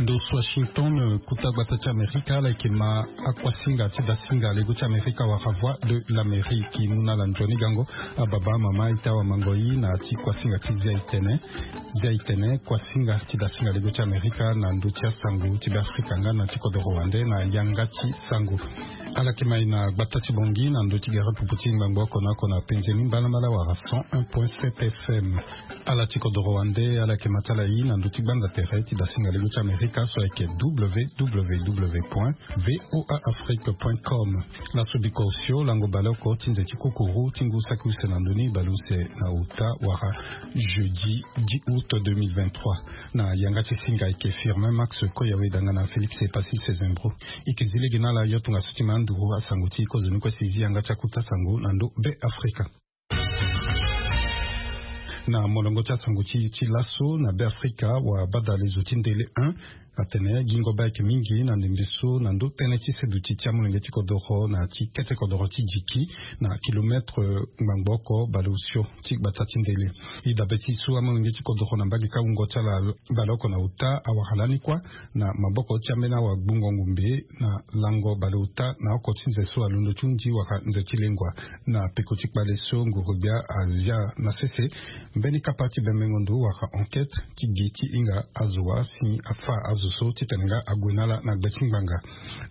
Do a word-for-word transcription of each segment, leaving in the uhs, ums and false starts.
Ndo ti Washington, kota gbata ti Amerika, ala yeke ma akuasinga ti dasinga lego ti Amerika wala Voix de l'Amérique. Mu na ala nzoni gango, ababa, amama, ita, awamango, i na ya ti kuasinga ti Zia Itene. Zia Itene, kuasinga ti dasinga lego ti Amerika na ndö ti asango ti Beafrika nga na ti kodoro wande na yanga ti sango. Ala yeke ma e na gbata ti Bangui na ndö ti gere pupu ti ngbangbo oko na oko na penze ni mbalambala wala cent un point sept F M. Ala ti kodoro wande, ala yeke ma ti ala i na ndö ti gbanza tere ti dasinga lego ti Amerika so ayeke W W W point V O A Afrique point com. Laso bikosio lango baleoko ti nze ti kukuru ti ngu saki use na ndö ni baleuse na uta wala jeudi dix août deux mille vingt-trois. Na yanga ti singa ayeke Firmin Max Koyawe danga na Félix Epassi Sezembro. E yeke zi lege na ala yo tongaso ti ma nduru asango ti kozoni kue si e zi yanga ti akota sango na ndö Beafrika. Na molongo ti asango ti, ti laso na Beafrika, wabadalezo ti ndele un atene gingo be ayeke mingi na ndembe so na ndö tënë ti seduti ti amolenge ti kodoro na ya ti kete kodoro ti Djiki na kilometre ngbangbo oko baleosio ti gbata ti ndele. E dabe ti so amolenge ti kodoro na mbage kâ wungo ti ala baleoko na uta awara lani kuâ na maboko ti ambeni awagbungo ngombe na lango baleota na oko ti nze so alondo ti hundi wala nze ti lengua. Na peko ti kpale so nguru-gbia azia na sese, mbeni kapa ti bembengo ndo wala enquête ti gi ti hinga azo wa si afâ azo so titene nga ague na ala na gbe ti ngbanga.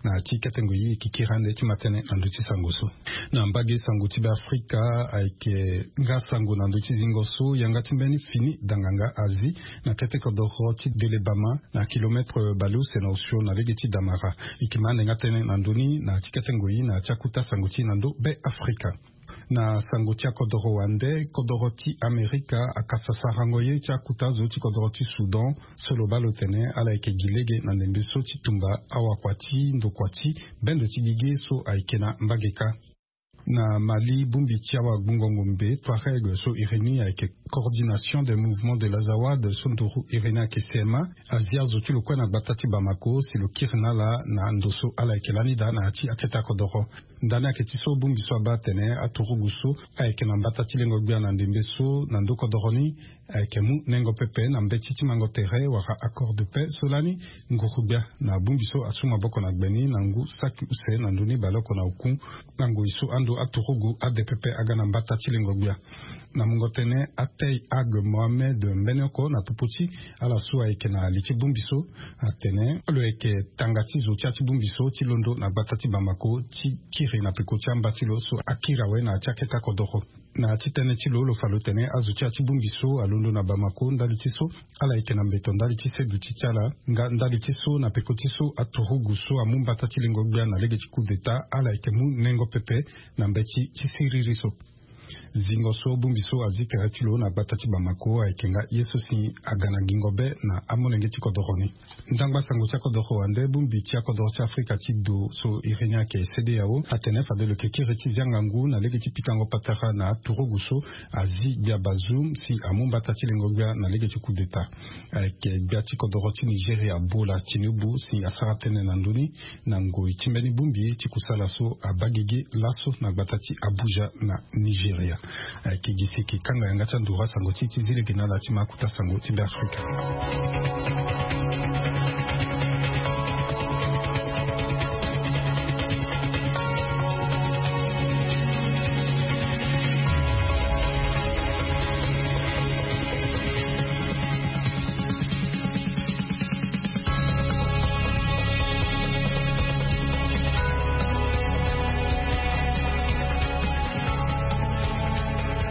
Na ya ti kete ngoi e yeke kiri ande ti ma tënë na ndö ti sango so. Na mbage sango ti Beafrika, ayeke nga sango na ndö ti zingo so yanga ti mbeni fini danganga azi na kete kodoro ti Delebama na kilometre baleuse na osio na lege ti Damara. E yeke ma ande nga tënë na ndö ni na ya ti kete ngoi na ya ti akota sango ti e na ndö Beafrika. Na sango ti akodoro wande, kodoro ti Amerika akasa sarango ye ti akota zo ti kodoro ti Soudan so lo baa lo tene ala yeke gi lege na ndembe so ti tumba awakua ti ndokua ti bendo ti gigi so ayeke na mbage kâ. Na Mali, bongbi ti awagbungo ngombe Touareg so iri ni ayeke Coordination des Mouvements de l'Azawad so nduru iri ni ayeke C M A, azi azo ti lo kue na gbata ti Bamako si lo kiri na ala na ndo so ala yeke lani daa na ya ti akete akodoro. Ndani ayeke ti so bongbi so abaa atene aturugu so ayeke na mbata ti lengo-gbia na ndembe so na ndö kodoro ni ayeke mu nengo pepe na mbeti ti mango tere wala accord de paix so lani nguru-gbia na bongbi so asu maboko na gbe ni na ngu saki use na ndö ni baleoko na oku na ngoi so ando aturugu ade pepe aga na mbata ti lengo-gbia. Na mungo tënë, Atey Ag Mohamed mbeni oko na popo ti ala so ayeke na li ti bongbi so atene lo yeke tanga ti zo ti ya ti bongbi so ti londo na gbata ti Bamako ti kiri na peko ti amba ti lo so akiri awe na ya ti akete akodoro. Na ya ti tënë ti lo, lo fa lo tene azo ti ya ti bongbi so alondo na Bamako ndali ti so ala yeke na mbeto ndali ti seduti ti ala nga ndali ti so na peko ti so aturugu so amu mbata ti lengo-gbia na lege ti coup d'État ala yeke mu nengo pepe na mbeti ti siriri so. Zingo so bongbi so azi tere ti lo na gbata ti Bamako ayeke nga ye so si aga na gingo be na amolenge ti kodoro ni. Ndangba sango ti akodoro wande, bongbi ti akodoro ti Afrika ti do so iri ni ayeke CEDEAO atene fade lo yeke kiri ti zia ngangu na lege ti pikango patara na aturugu so azi gbia Bazoum si amu mbata ti lengo-gbia na lege ti coup d'État. Ayeke gbia ti kodoro ti Nigeria Bola Tinubu si asara tënë na ndö ni na ngoi ti mbeni bongbi ti kusala so abaa gigi laso na gbata ti Abuja na Nigeria. Ayeke gi si e yeke kanga yanga ti anduru asango ti e ti zi lege na ala ti ma akota sango ti Beafrika.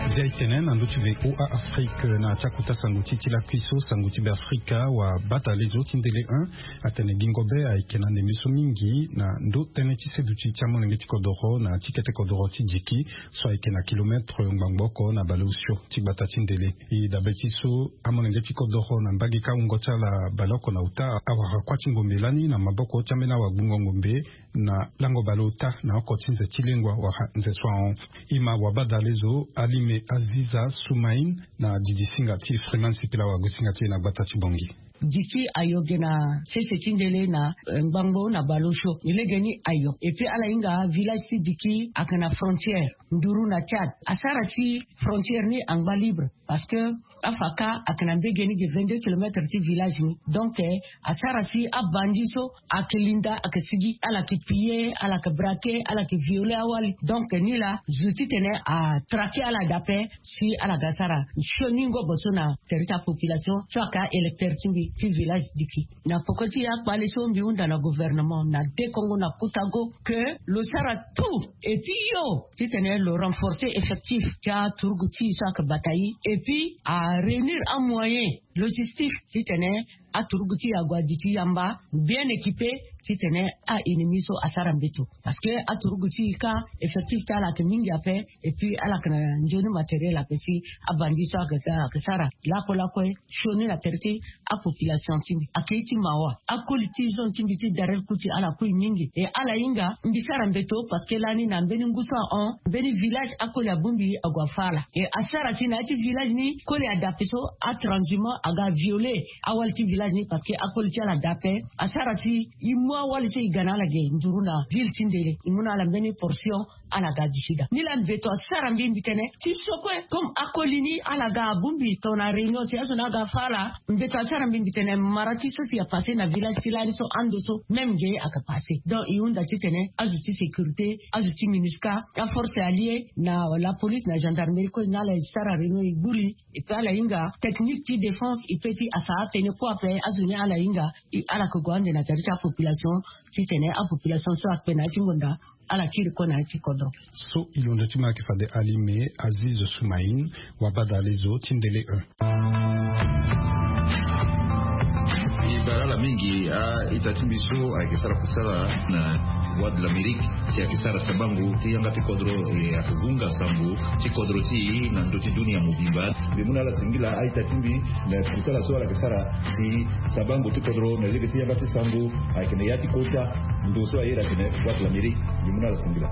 Zia e tene na ndö ti VOA Afrique na ya ti akota sango ti e ti lakui so sango ti Beafrika, wabadalezo ti ndele un atene gingo be ayeke na ndembe so mingi na ndö tënë ti seduti ti amolenge ti kodoro na ya ti kete kodoro ti Djiki so ayeke na kilometre ngbangbo oko na baleosio ti gbata ti ndele. E dabe ti so amolenge ti kodoro na mbage kâ wungo ti ala baleoko na uta awara kuâ ti ngombe lani na maboko ti ambeni awagbungo ngombe na lango baleota na oko ti nze ti lengua wala nze so ahon. E ma wabadalezo Alime Aziza Soumaïn na didi singa ti Freeman Sipila wagosinga ti e na gbata ti Bangui. Diki ayo ge na sese ti ndele na ngbangbo na baleosio. Legeni ayo. Et puis ala hinga village ti diki ayeke na frontière nduru na tchad. Asara si frontière ni angba libre, parce que afaka ayeke na mbege ni ge vingt-deux kilomètres ti village ni. Donc asara si abandi so ayeke linda ayeke sigi, ala yeke piller, ala yeke braquer, ala yeke violer awali. Donc nilaa zo titene atraquer ala dape si ala ga sara sioni ngobo so na tere ti apopulation so ayeke aélecteur ti mbi ti village diki. Na poko ti akpale so mbi hunda na gouvernement na dekongo na kutago ke lo sara tout et puis yo titene lo renforcer effectif ti aturugu ti so ayeke bata ye, et puis aréunir amoyen logistique titene aturugu ti ague adi ti yamba bien équipé titene a-ennemi so asara mbeto. Parce que aturugu ti ka effectif ti ala ayeke mingi ape. Et puis ala yeke na nzoni matériel ape si abandi so ayeke sara lakue lakue sioni na tere ti apopulation ti mbi. Ayeke ye ti mawa. Akoli ti zone ti mbi ti darel kuti ala kui mingi. Et ala hinga mbi sara mbeto parce que lani na mbeni ngu so ahon mbeni village akoli abongbi ague afa ala. Et asara si na ya ti village ni koli adape so atranshumant aga violer awali ti village ni parce que akoli ti ala dape. Asara si e mu awali so e ga na ala ge nduru na ville ti ndele e mu na ala mbeni portion. Ala ga du sud. Nilaa mbeto asara mbi mbi tene ti so kue comme akoli ni ala ga abongbi tongana réunion si azo ni aga afa ala. Mbeto asara mbi mbi tene mara ti so si apasser na village ti lani so ando so même ge ayeke passer. Donc e hunda titene azo ti sécurité, azo ti minusca, aforce alliée na la police na gendarmerie kue na ala e sara réunion e gbu li. Et puis ala hinga technique ti défense e pe ti asa atene kue ape azo ni ala hinga. Ala yeke gue ande na tere ti apopulation titene apopulation so ayeke na ya ti ngonda ala kiri kue na ya ti kodro. So e londo ti mo ayeke fade ali me aziz soumaïn. Wabadale zo ti ndele un. E bara ala mingi a-ita ti mbi so ayeke sara kusala na voie de l'amérique si ayeke sara sabango ti yanga ti kodro e ayeke vunga sango ti kodro ti e na ndö ti dunia mobimba. Mbi mu na ala singila a-ita ti mbi na kusala so ala yeke sara si sabango ti kodro na lege ti yanga ti sango ayeke na ya ti kota ndo so aye ayeke na voie de l'amérique. Mbi mu na ala singila.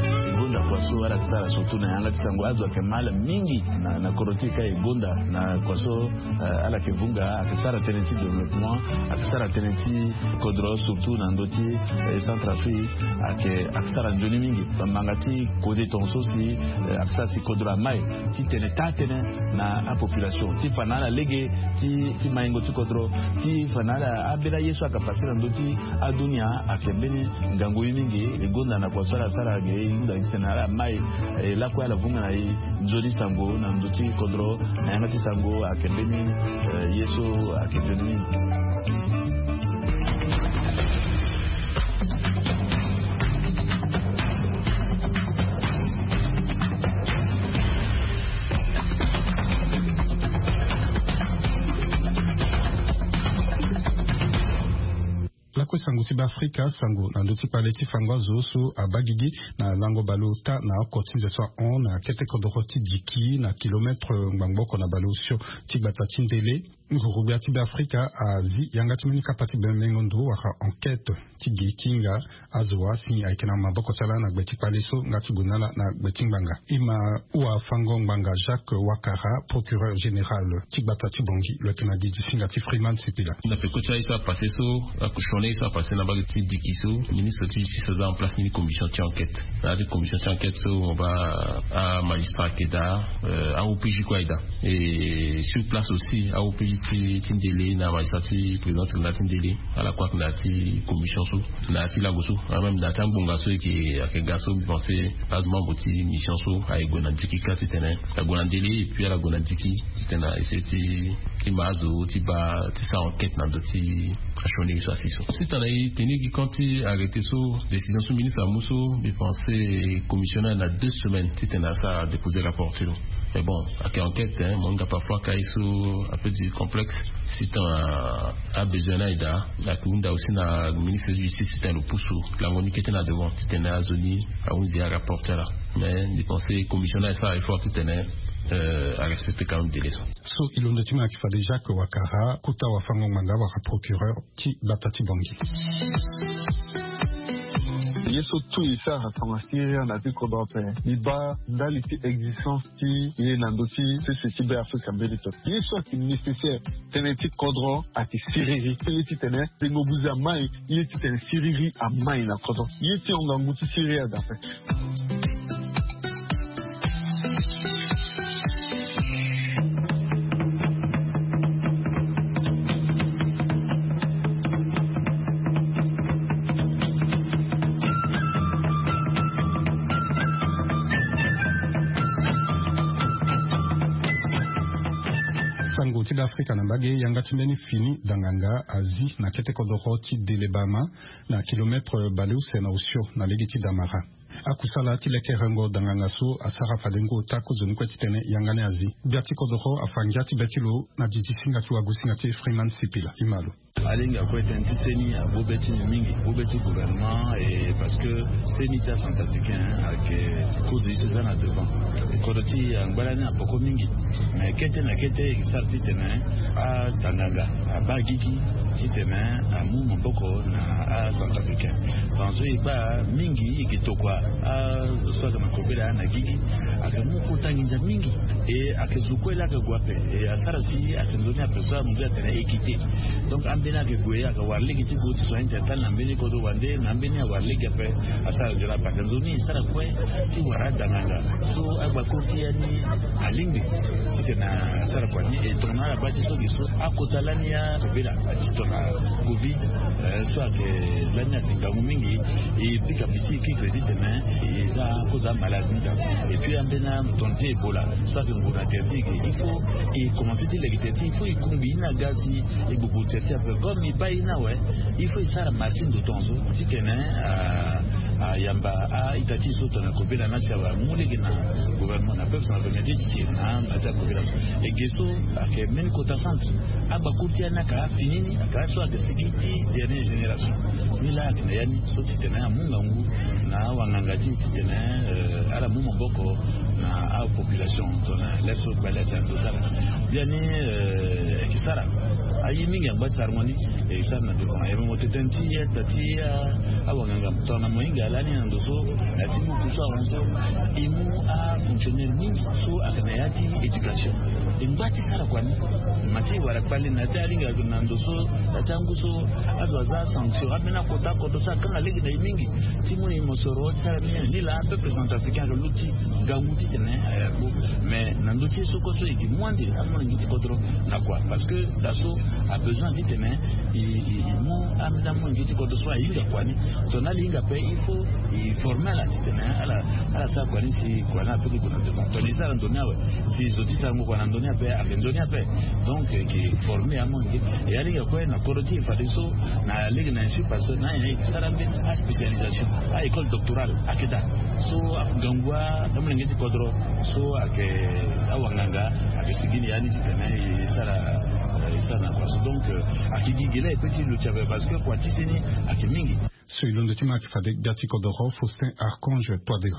E gonda kua so ala yeke sara surtout na yanga ti sango azo ayeke mal mingi na kodro ti e ka e gonda na kua so. Ala yeke vunga ayeke sara tënë ti développement ayeke sara tënë ti kodro surtout na ndö ti centre afrique. Ayeke sara nzoni mingi bambanga ti kode tonga so si ayeke sara si kodro amai ti tene taa tënë na apopulation ti fa na ala lege ti maingo ti kodro ti fa na ala ambeni aye so ayeke pase na ndö ti adunia. Ayeke mbeni ngangu ye mingi e gonda na kua so ala sara ge e hunda titene ala mai e lakue ala vunga na e nzoni sango na ndö ti kodro na yanga ti sango ayeke mbeni ye so ayeke nzoni mingi. Lakue sango ti beafrika sango na ndö ti kpale ti fango azo so abagigi na lango baleota na oko ti nze so ahon na kete kodoro ti diki na kilometre ngbangbo oko na baleosio ti gbata ti ndele. Nguru-gbia ti beafrika azi yanga ti mbeni kapa ti bemengo ndo wala enquête ti gi ti hinga azo wa si ayeke na maboko ti ala na gbe ti kpale so nga ti gue na ala na gbe ti ngbanga. E ma hua fango ngbanga jacques wakara procureur général ti gbata ti bongi lo yeke na gi ti singa ti freeman sipila. Na peko ti aye so apase so, sioni aye so apase na mbage ti diki so, ministre ti justice aza en place mbeni commission ti enquête. Na ya ti commission ti enquête so mo baa amagistrat ayeke daa, a-opj kue ayeke daa. Et sur place aussi a-opj ti ndele na amagistrat ti président tribunal ti ndele, ala kue ayeke na ya ti commission so na ya ti lango so. Même na ya ti angbonga so e yeke ga so mbi pense azo membre ti mission so aye gue na diki kâ titene ague na ndele et puis ala gue na diki titene a essayer ti ti ma azo ti baa ti sara enquête na ndö ti asioni so asi so. Si tana e tenir gi compte ti arrêté so, décision so ministre amu so, mbi pense commissionnaire na deux semaines titene asara déposer rapport ti lo. Mais bon, ayeke enquête, mo hinga parfois ka ye so un peu du complexe. Si tana abesoin ni aye daa, ayeke hunda aussi na ministre ti justice titene lo pusu lango ni kete na devant titene azo ni ahunzi arapport ti ala. Mais mbi pense commissionnaire asara effort titene arespecter quand même délai so. So e londo ti mo ayeke fade jacques wakara kota wafango ngbanga wala procureur ti gbata ti bongi. Ye so tout e sara tongana syria na ti kodro ape. E baa ndali ti existence ti e na ndö ti sese ti be afrika mbeni to. Ye so ayeke nécessaire tënë ti kodro ayeke siriri. Ye titene tengo buze amai. Ye titene siriri amai na kodro. Ye ti hongangu ti syria dape. Sango ti be afrika na mbage yanga ti mbeni fini danganga azi na kete kodoro ti delebama na kilometre baleuse na osio na lege ti damara. Akusala ti lekerengo danganga so asara fade ngu ota kozoni kue titene yanga ni azi. Gbia ti kodoro afa ngia ti be ti lo na didi singa ti wagosinga ti freeman sipila imalo. Alingbi akue tënë ti seni abo be ti ni mingi abo be ti gouvernement e parce que seni ti acentrafricain ayeke kozo ye so eza na devant. Kodro ti e angba lani apoko mingi. Mais kete na kete e sara titene adanganga abaa gigi titene amu maboko na acentrafricain. Parce que e kpaa mingi e yeke tokua azo so ayeke na kobela na gigi. Ayeke mu kota nginza mingi. E ayeke zo kue laa ayeke gue ape. E asara si ayeke nzoni ape so amu nzoni atene équité. Donc ambeni ayeke gue ayeke wara lege ti gue ti soin ti atali na mbeni kodro wande na ambeni awara lege ape. Asara nzoni ape ayeke nzoni e sara kue ti wara adanganga so agbakuru ti ya ni alingbi titene asara kua ni e tongana ala baa ti so gi so akota lani ya kobela ti tongana covid. So ayeke lani ayeke ngangu mingi. E pika piti e kekre titene e za kozo amalade ni daa. Et puis ambeni amoto ti ebola so ayeke ngu na tere ti e ke il faut e commence ti leke tere ti e il faut e kungbi ye ni aga si e gbogbo tere ti e ape comme e baa ye ni awe. Il faut e sara marché ndo tongaso titene ayamba a-ita ti e so tongana kobela na si awe amu lege na gouvernement na peuple na gouvernement ti e ti tiri na na ti akobela so. E ge so ayeke mbeni kota centre. Agbakuru ti ya ni ayeke afini ni ayeke aso ayeke sigi ti dernière génération. Ni laa ayeke na ya ni so titene amu ngangu na awanganga ti e titene ala mu maboko na apopulation tongana lere so gbali ati na ndo ti ala. Biani e yeke sara aye mingi angba ti sarango ni. E sara na devant e mo tete ti eta ti awanganga tongana mo hinga lani na ndo so na ya ti buku so ahon so e mu afonctionnaire mingi so ayeke na ya ti éducation. E ngba ti sara kua ni ma ti wara kpale na ya ti alinga na ndo so na ya ti angu so azo aza sanction ambeni akota kodro so akanga lege na e mingi. Ti mu na e mosoro ti sara ni ni laa peuple centrafricain ayeke luti ngangu titene aya gbu. Mais na ndö ti ye so kue so e gi mu ande amolenge ti kodro na kua parce que da so abesoin titene e mu ambeni amolenge ti kodro so ahinga kua ni. Tongana ala hinga ape il faut e forme ala titene ala ala sara kua ni si kua ni ape ti gue na devant tongana e sara ndo ni awe. Si zo ti sarango kua na ndo ni ape ayeke ndo ni ape. Donc e ke forme amolenge e alinga kue na kodro ti e fadeso na lege na insu parce que na nyen e ke sara ambeni aspécialisation a école doctorale ayeke daa. So ngangu amolenge ti kodro so ayeke awanganga ayeke sigi ni ya ni titene e sara e sara na kua so donc ayeke gi gele aye pe ti luti ape parce que kua ti seni ayeke mingi. So e londo ti ma ayeke fade gbia ti kodoro Faustin Archange Touadéra.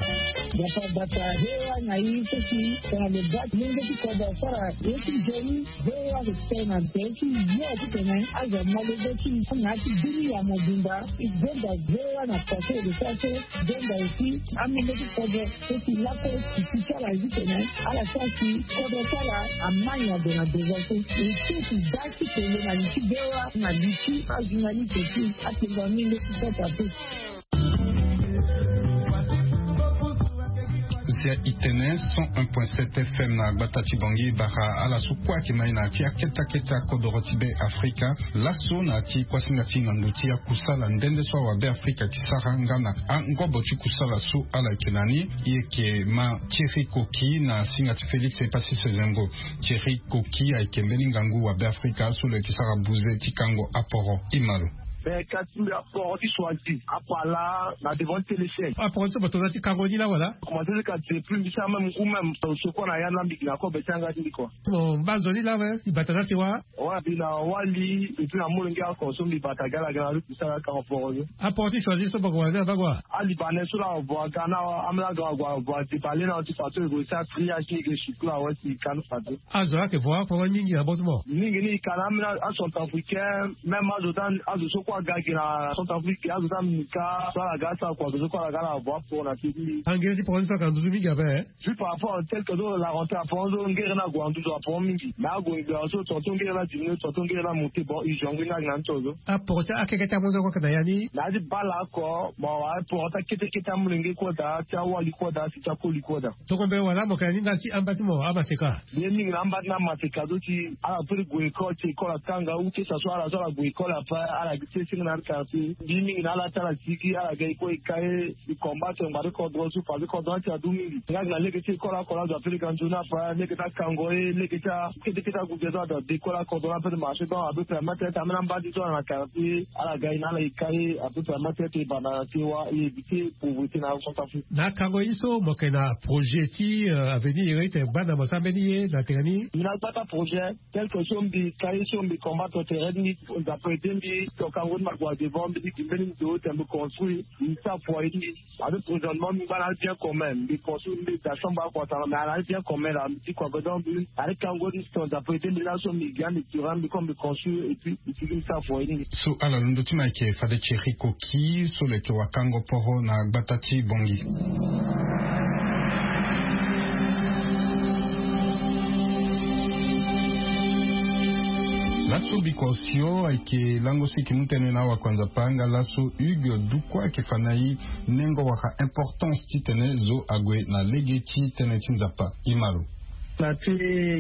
Bata bata hewa na i so si tongana lo baa ti lenge ti kodro asara ye ti nzoni. Hewa ayeke tene na ntere ti yo titene azo amolenge ti na ya ti dunia mobimba. E gonda hewa na kua so e lo sara so gonda aussi amolenge ti kodro so si lakue ti ti ti ala ye titene ala sara si kodro ti ala amai na ndo na devant so. E so ti baa ti tene na li ti hewa na li ti ajournaliste ti atengo amolenge ti kota so. Zia itene cent un point sept F M na gbata ti Bangui bara ala so kue ayeke mai na ya ti akete akete akodoro ti be Afrika. Laso na ya ti kuasinga ti na ndo ti akusala nde nde so awabe Afrika ayeke sara nga na angobo ti kusala so ala yeke na ni. E yeke ma Thierry Coqui na singa ti Félix Epassi Sezengo. Thierry Coqui ayeke mbeni ngangu wabe Afrika so lo yeke sara buze ti kango aporo. Imalo. Mais kasi mbi aporo ti choisi apala na devant ti téléchaîne. Aporo ti so bato na ti kango ni la wala? Commencé ti kasi depuis mbi sara même ngu même secours na ya na mbi na kobe ti anga ti mbi kua. Bon mba nzoni la we si bata na ti wa. Wa mbi na wali et puis na molenge oko so mbi bata gala gala ti sara kango poro ni. Aporo ti choisi so bako wala ni abako wa. Alibanais so la avo aga na amela ga avo adebale na ti façon ego sa triage ni ege chikula wa si kanu façon. Azo ayeke vo aporo mingi na botemo. Mingi ni kana amela acentrafricain même azo dan azo so. Aga gi na Centrafrique, azo ti amika so ala ga asara kua zo kue ala ga ala vo aporo na ti mbi. Angere ti poro ni so aka nduzu mingi ape. Juste par rapport tel que zo la rentrée aporo zo ngere ni ague na nduzu aporo mingi. Mais ague ngbera so tonton ngere ni adiminué, tonton ngere ni amonté, bon, urgent ngu ni agi na ni so zo. Aporo ti akeke ti amonzo kue ake na ya ni. Na ya ti bale oko, bon, aporo ti akete kete amolenge kue daa, ti awali kue daa, si ti akoli kue daa. Tongombe wala mo yeke na ni ndali ti amba ti mo amaseka. Mbi ye mingi na amba ti na maseka zo ti ala peut ti gue école ti école akanga ou que ça soit ala so ala gue école ape ala gi ti senge na ala quartier. Mbi ye mingi na ala ti ala sigi ala ga e kue e ka e e combattre ngbari kodro so parce que kodro ni ti adu mingi. Nga gi na lege ti école oko la zo ape lege anzoni ape lege ti akango e lege ti a kete kete ague ge so ada de école akodro ni ape ti marché donc ape permettre ti ambeni amba ti so ala na quartier ala ga e na ala e ka e ape permettre ti e banda na ti e wa e éviter pauvreté na Centrafrique. Na akango ye so mo yeke na projet ti avenir ye ete gbanda mo sara mbeni ye na tene ni. Mbi na gbata projet tel que so mbi ka ye so mbi combattre tere ti mbi. Nzapa aidé mbi to kango ti mbi ague na devant mbi ti gi mbeni ndo ete mbi construire mbi ti sara foyer ti mbi. Avec présentement mbi ngba na bien commun mbi construire mbi da chambre akua tanga mais ala bien commun la mbi ti kua godon mbi. Avec kango ti mbi to nzapa aidé mbi laso mbi gi ande tirant mbi comme mbi construire et puis mbi ti gi mbi sara foyer ti mbi. So ala londo ti mo ayeke fade Thierry Koki so lo yeke wakango poro na gbata ti Bangui. Laso biko osio ayeke lango so e yeke mu tënë na awakua Nzapa nga laso Hugues Dukua ayeke fa na e nengo wala importance titene zo ague na lege ti tënë ti Nzapa. E ma lo. Na ti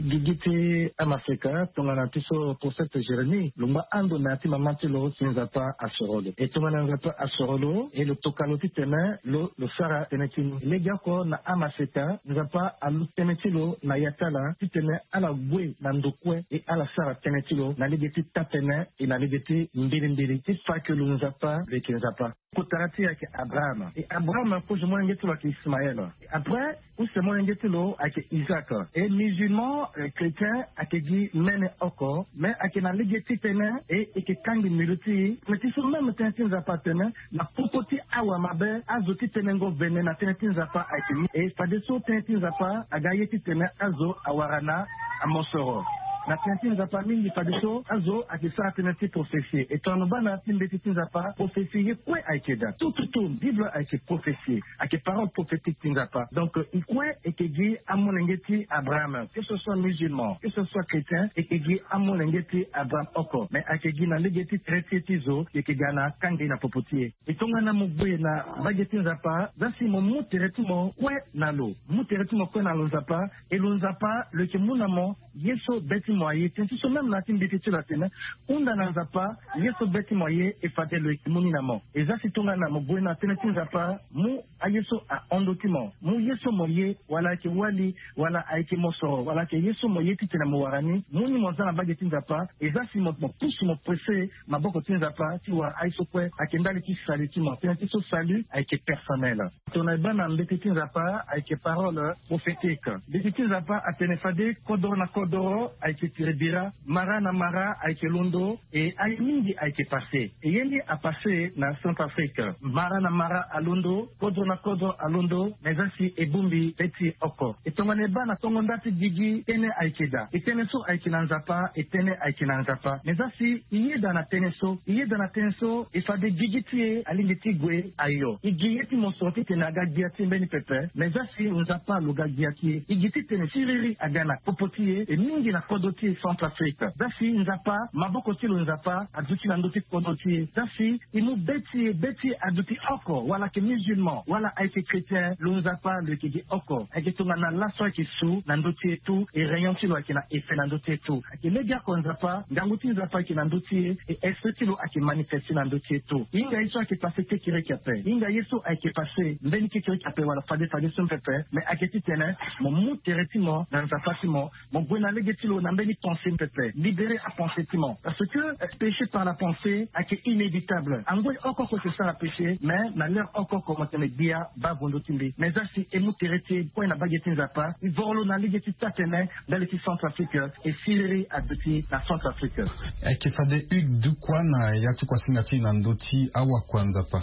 gigi ti amaseka tongana ti so prophète Jérémie lo ngba ando na ya ti mama ti lo si Nzapa asoro lo e tongana Nzapa asoro lo e lo toka lo titene lo lo sara tënë ti ni. Legeoko na amaseka Nzapa alu tënë ti lo na ya ti ala titene ala gue na ndo kue e ala sara tënë ti lo na lege ti taa-tënë e na lege ti mbilimbili ti fa ke lo Nzapa lo yeke Nzapa. Kotara ti e ayeke Abraham e Abraham kozo molenge ti lo ayeke Ismaël. Après use molenge ti lo ayeke Isaac. E musulman chrétien ayeke gi mene oko mais ayeke na lege ti tënë e e yeke kangbi mbilu ti e. Mais ti so même tënë ti Nzapa atene na popo ti awamabe azo ti tenengo vene na tënë ti Nzapa ayeke mingi e fadeso tënë ti Nzapa aga ye titene azo awara na amosoro. Na tënë ti Nzapa mingi fadeso azo ayeke sara tënë ti prophesie e tongana lo baa na ya ti mbeti ti Nzapa prophesie ye kue ayeke daa tout tout tout Bible ayeke prophesie. Ayeke parole prophétique ti Nzapa donc e kue e yeke gi amolenge ti Abraham que ce soit musulman que ce soit chrétien e yeke gi amolenge ti Abraham oko mais ayeke gi na lege ti tere ti e ti zo e yeke ga na kangbi na popo ti e. E tongana mo gue na mbage ti Nzapa za si mo mu tere ti mo kue na lo mu tere ti mo kue na lo Nzapa e lo Nzapa lo yeke mu na mo ye so be ti mo aye tënë ti so même na ya ti mbeti ti lo atene hunda na Nzapa ye so be ti mo aye e fade lo yeke mu ni na mo. E za si tongana mo gue na tënë ti Nzapa mu aye so ahon ndö ti mo mu ye so mo ye wala ayeke wali wala ayeke mosoro wala ayeke ye so mo ye titene mo wara ni mu ni mo za na mbage ti Nzapa. E za si mo mo pusu mo presse maboko ti Nzapa ti wara aye so kue ayeke ndali ti salut ti mo tënë ti so salut ayeke personnel. Tongana e baa na mbeti ti Nzapa ayeke parole prophétique. Mbeti ti Nzapa atene fade kodoro na kodoro ayeke tiri bira mara na mara ayeke londo. E aye mingi ayeke passe e ye ni apasse na Centrafrique. Mara na mara alondo kodro na kodro alondo mais za si e bongbi be ti e oko. E tongana e baa na tongo nda ti gigi tënë ayeke daa e tënë so ayeke na Nzapa e tënë ayeke na Nzapa mais za si e yeda na tënë so e yeda na tënë so e fade gigi ti e alingbi ti gue ayo e gi ye ti mosoro titene aga gbia ti e mbeni pepe mais za si Nzapa lo ga gbia ti e e gi titene siriri aga na popo ti e e mingi na kodro ti e Centrafrique. Za si Nzapa maboko ti lo Nzapa aduti na ndö ti kodro ti e za si e mu be ti e be ti e aduti oko wala ayeke musulman wala ayeke chrétien lo Nzapa lo yeke gi oko ayeke tongana laso ayeke su na ndö ti e tout e rayon ti lo ayeke na effet na ndö ti e tout. Ayeke legeoko Nzapa ngangu ti Nzapa ayeke na ndö ti e e esprit ti lo ayeke manifeste na ndö ti e tout. Hinga ye so ayeke passe kekereke ape hinga ye so ayeke passe mbeni kekereke ape wala fade fade so pepe mais ayeke titene mo mu tere ti mo na Nzapa ti mo. Mo gue na lege ti lo na mbeni pensée pepe libérer apensée ti mo parce que péché par la pensée ayeke inévitable angoi oko oko e sara péché mais na l'heure oko oko mo tene gbia baa vo ndö ti mbi mais za si e mu tere ti e kue na mbage ti Nzapa e voro lo na lege ti taa-tënë ndali ti Centrafrique. E siriri aduti na Centrafrique. Ayeke fade Hugues Dukua na ya ti kuasinga ti e na ndö ti awakua Nzapa.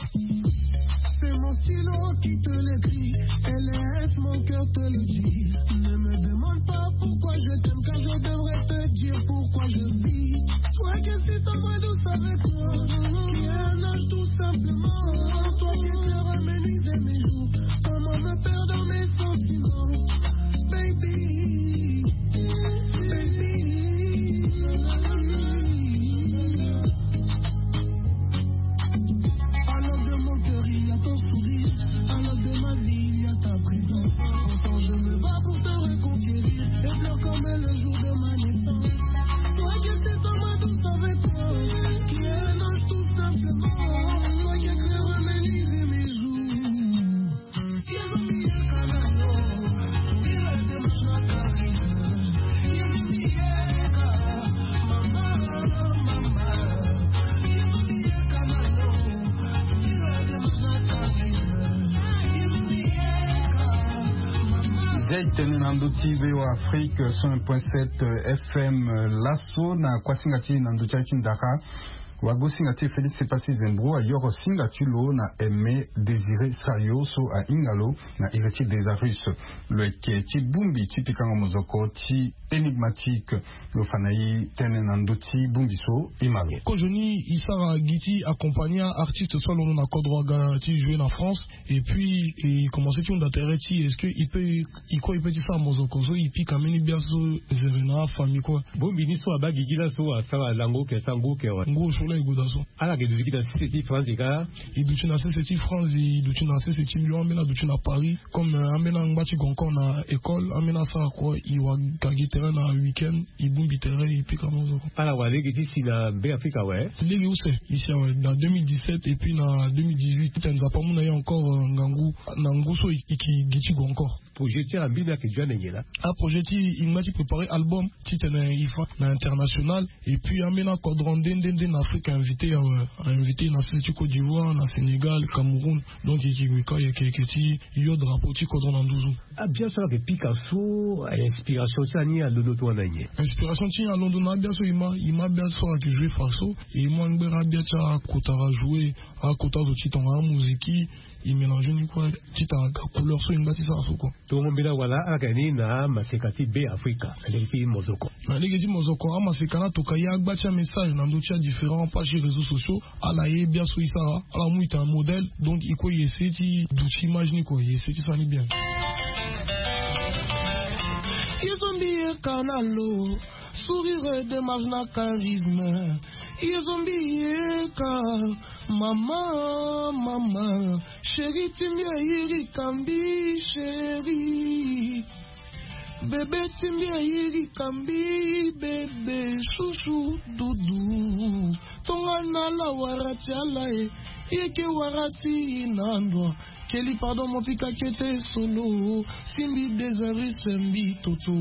C'est mon stylo qui te l'écrit et laisse mon cœur te le dire. Ne me demande pas pourquoi je t'aime car je devrais te dire pourquoi je vis. Toi qui es si tendre et douce avec moi. Tene na ndö ti V O A Afrique cent un point sept F M. Laso na kuasinga ti na ndö ti aye ti ndara, wagosinga ti Félix Epassi Zembro ayoro singa ti lo na Aimé Désiré Sayo so ahinga lo na iri ti Désarus. Lo yeke ti bongbi ti pikango mozoko ti Énigmatique. Lo fa na e tënë na ndö ti bongbi so e ma lo. Kozoni e sara gi ti accompagner artiste so alondo na kodro aga ti jouer na France. Et puis e commencer ti hunda tere ti est-ce que e peut e kue e peut ti sara mozoko so e pika mbeni bia so zere na afamille kue. Bongbi ni so abaa gigi laso asara lango oke asara ngu oke awe. Ngu osio la e gue daa so. Ala yeke duti gi na sese ti France ka. E duti na sese ti France, e duti na sese ti Lyon, ambeni aduti na Paris. Comme ambeni angba ti go encore na école, ambeni asara kue e wara gi tere na week-end. E bongbi tere e pika mozoko. Ala wara lege ti si na Be Afrika awe. Lege use e si awe na deux mille dix-sept et puis na deux mille dix-huit ti tene Nzapa amu na e encore ngangu na ngu so e yeke gi ti go encore. Projet ti ala mbi mbi ayeke dio ande nyen laa? Aprojet ti e ngba ti préparer album ti tene e fa na international. Et puis ambeni akodro nde nde nde na Afrique ainvité awe, ainvité na sese ti Côte d'Ivoire, na Sénégal, Cameroun. Donc e yeke gue ka e yeke yeke ti yo drapeau ti kodro na nduzu. Abia so ala yeke pika so, inspiration ti ala ni alondo tongana nyen? Inspiration ti e alondo na abia so e ma e ma abia so ala yeke jouer fa so. E mu angbere abia ti akota ajoue, akota azo ti tongana amoziki. E mélange ni kue ti tara ga couleur so e ngba ti sara so kue. Tongo mbeni awala ala yeke ni na maseka ti Be Afrika na lege ti mozoko. Na lege ti mozoko amaseka ni atoka e agba ti amessage na ndö ti adifférent page ti réseaux sociaux. Ala ye biaso e sara, ala mu e tene modèle. Donc e kue e essayer ti duti image ni kue, e essayer ti sara ni bien. Ye so mbi ye ka na lo, sourire, démarche na charisme. Ye so mbi ye ka, mama, mama. Chéri ti mbi ayirika mbi, chéri. Bébé ti mbi ayirika mbi, bébé, chouchou, doudou. Tongana ala wara ti ala e, ye ke wara ti e na ndo. Keli pardon mo pika kete solo. Si mbi Désarus mbi toto.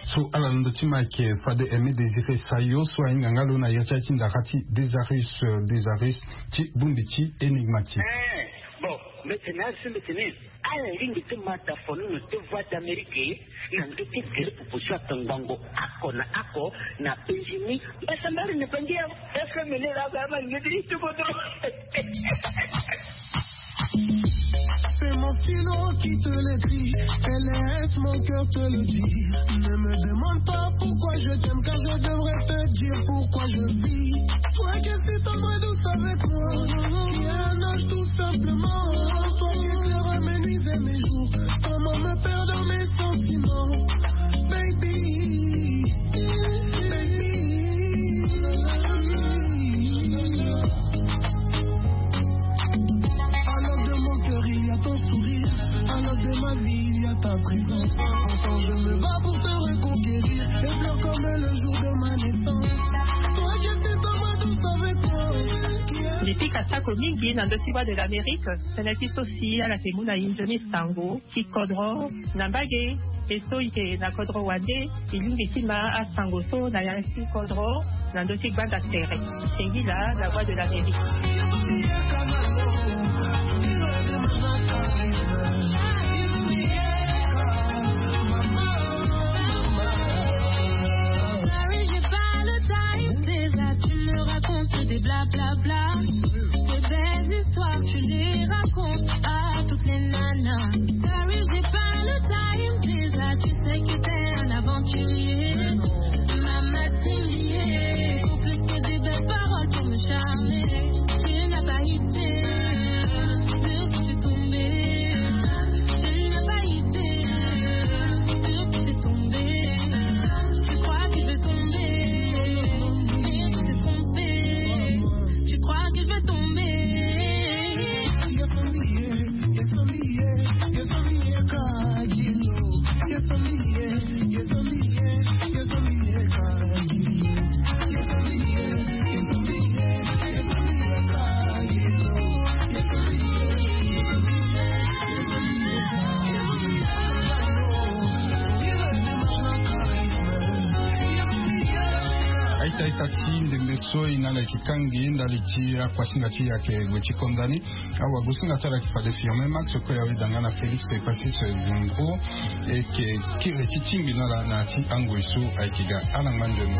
So ala na ndö ti ma ayeke fade Aimé Désiré Sayo so ahinga nga lo na iri ti aye ti ndara ti Désarus, Désarus ti bongbi ti Énigmatique. Eh, bon, mbeti na ala si mbeti ni. Ala lingbi ti ma tafono na ti Voix d'Amérique na ndö ti gere proposition ata ngbongo oko na oko na Benjamin. Mbasambari na bangi ya F M L la ba ma ngedi ti kodro. C'est mon stylo qui te l'écrit et laisse mon cœur te le dire. Ne me demande pas pourquoi je t'aime, car je devrais te dire pourquoi je vis. Toi qui es si tendre et douce avec moi, qui a un âge tout simplement. Toi qui éclaires mes nuits et mes jours, comment me perdre dans mes sentiments, baby, baby. À l'œuvre de mon cœur, il y a ton sourire. À l'œuvre de ma vie, il y a ta présence. Ensemble, je me bats pour te reconquérir. Et pleure comme le jour de ma naissance. Toi qui étais dans ma douce avec moi. Mbi pika sako mingi na ndö ti Voix de l'Amérique. Tënë ti so si ala yeke mu na e nzoni sango ti kodro na mbage. E so e yeke na kodro wande, e lingbi ti ma asango so na ya ti kodro na ndö ti gbanda tere. Singila, La Voix de l'Amérique. Sorry, j'ai pas le time, déjà tu me racontes des blablabla. Tes belles histoires, tu les racontes à toutes les nanas. Sorry, j'ai pas le time, déjà tu sais que t'es un aventurier. Mama Timbier, pour plus que des belles paroles pour me charmer, tu n'as pas idée. Taita ti ndembe so e na ala yeke kangi ndali ti akuasinga ti e ayeke gue ti konda ni. Awagosinga ti ala yeke fade Firmin Max, kue awe danga na Félix Epassis Zengro. E yeke kiri ti tingbi na ala na ya ti angoi so ayeke ga. Ala ngba nzoni.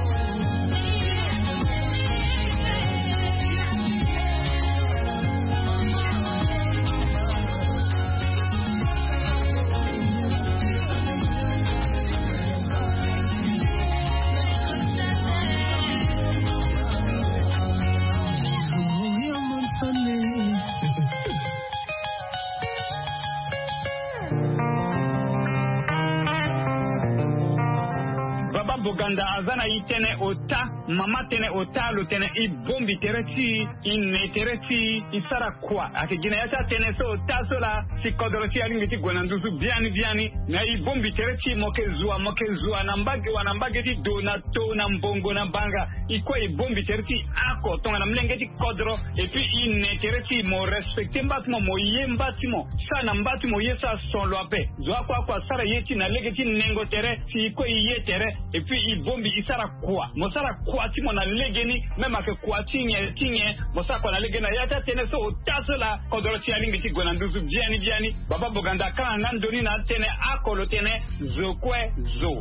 Baba Boganda aza na e tënë ota, mama tënë ota, lo tene e bongbi tere ti e, e ne tere ti e, e sara kua. Ayeke gi na ya ti atënë so ota so laa, si kodro ti e alingbi ti gue na nduzu biani biani. Na e bongbi tere ti e, mo yeke zua, mo yeke zua na mbage wa na mbage ti do, na to, na mbongo, na banga. E kue e bongbi tere ti e oko tongana molenge ti kodro. Et puis e ne tere ti e, mo respecter mba ti mo, mo ye mba ti mo. Sara na mba ti mo ye so ason lo ape. Zo oko oko asara ye ti e na lege ti nengo tere, si e kue e ye tere. Et puis e bongbi e sara kua. Mo sara kua ti mo na legeni, même ayeke kua ti nyen ti nyen, mo sara kua na legeni. Na ya ti atënë so ota so laa, kodro ti e alingbi ti gue na nduzu biani biani. Baba Boganda akanga nga ndoni na atënë oko, lo tene zo kue zo.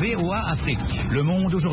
V O A Afrique, le monde aujourd'hui.